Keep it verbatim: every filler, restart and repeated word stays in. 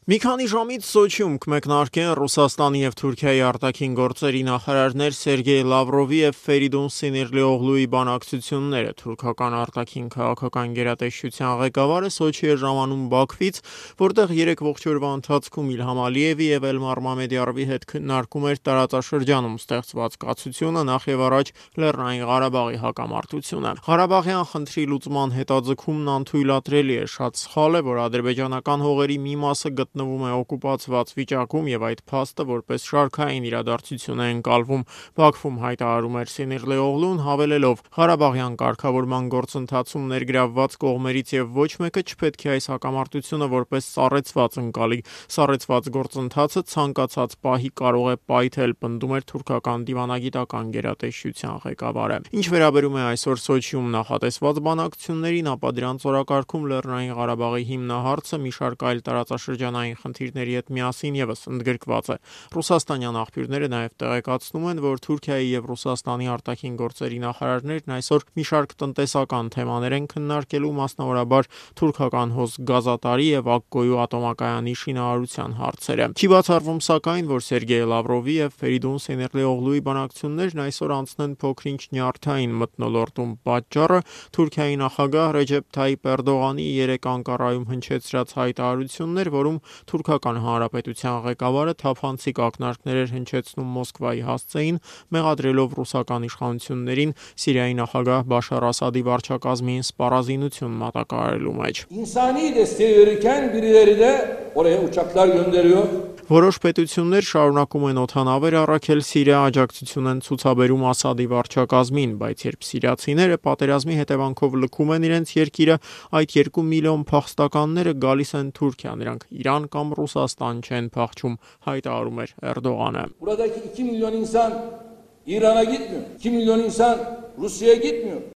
Մի քանի ժամից Սոչիում կմեկնարկեն Ռուսաստանի և Թուրքիայի արտաքին գործերի նախարարներ Սերգեյ Լավրովի և Ֆերիդուն Սինիրլիօղլուի բանակցությունները։ Թուրքական արտաքին քաղաքական գերատեսչության ղեկավարը Սոչի է ժամանում Բաքվից, որտեղ երեք ողջ օրվա ընթացքում Իլհամ Ալիևի և Էլմար Մամեդյարովի հետ քննարկում էր տարածաշրջանում ստեղծված կացությունը, նախևառաջ Լեռնային Ղարաբաղի հակամարտությունը։ Ղարաբաղյան խնդրի լուծման հետաձգումն անթույլատրելի է, շատ սխալ է, որ ադրբեջանական հողերի մի մասը գտնվում է օկուպացված վիճակում և այդ փաստը որպես շարքային իրադարձություն է ընկալվում, Բաքվում հայտարարում էր Սինիրլիօղլուն, հավելելով. Ղարաբաղյան կարգավորման գործընթացում ներգրավված կողմերից և ոչ մեկը չպետք է այս հակամարտությունը որպես սառեցված ընկալի։ Սառեցված գործընթացը ցանկացած պահի կարող է պայթել, պնդում էր թուրքական դիվանագիտական գերատեսչության ղեկավարը։ Ինչ վերաբերում է այսօր Սոչիում նախատեսված բանակցություններին, ապա դրանց օրակարգում Լեռնային Ղարաբաղի հիմնահարցը մի շարք այլ տարածաշրջանային խնդիրների հետ միասին ևս ընդգրկված է։ Ռուսաստանյան աղբյուրները նաև տեղեկացնում են, որ Թուրքիայի և Ռուսաստանի արտաքին գործերի նախարարներն այսօր մի շարք տնտեսական թեմաներ են քննարկելու, մասնավորաբար թուրքական հոսք գազատարի և Ակկոյու ատոմակայանի շինարարության հարցերը։ Չի բացառվում սակայն, որ Սերգեյ Լավրովի և Ֆերիդուն Սինիրլիօղլուի բանակցություններն այսօր անցնեն փոքր-ինչ նյարդային մթնոլորտում։ Պատճառը Թուրքիայի նախագահ Ռեջեփ Թայիպ Էրդողանի երեկ Անկարայում հնչեցրած հայտարարությունն էր, որում Թուրքական Հանրապետության ղեկավարը թափանցիկ ակնարկներ էր հնչեցնում Մոսկվայի հասցեին, մեղադրելով ռուսական իշխանություններին Սիրիայի նախագահ Բաշար Ասադի վարչակազմին սպառազինություն մատակարարելու մեջ։ Որոշ պետություններ շարունակում են օդանավեր առաքել Սիրիա, աջակցություն են ցուցաբերում Ասադի վարչակազմին, բայց երբ սիրիացիները պատերազմի հետևանքով լքում են իրենց երկիրը, այդ երկու միլիոն փախստականները գալիս են Թուրքիա, նրանք Իրան կամ Ռուսաստան չեն փախչում, հայտարարում էր Էրդողանը։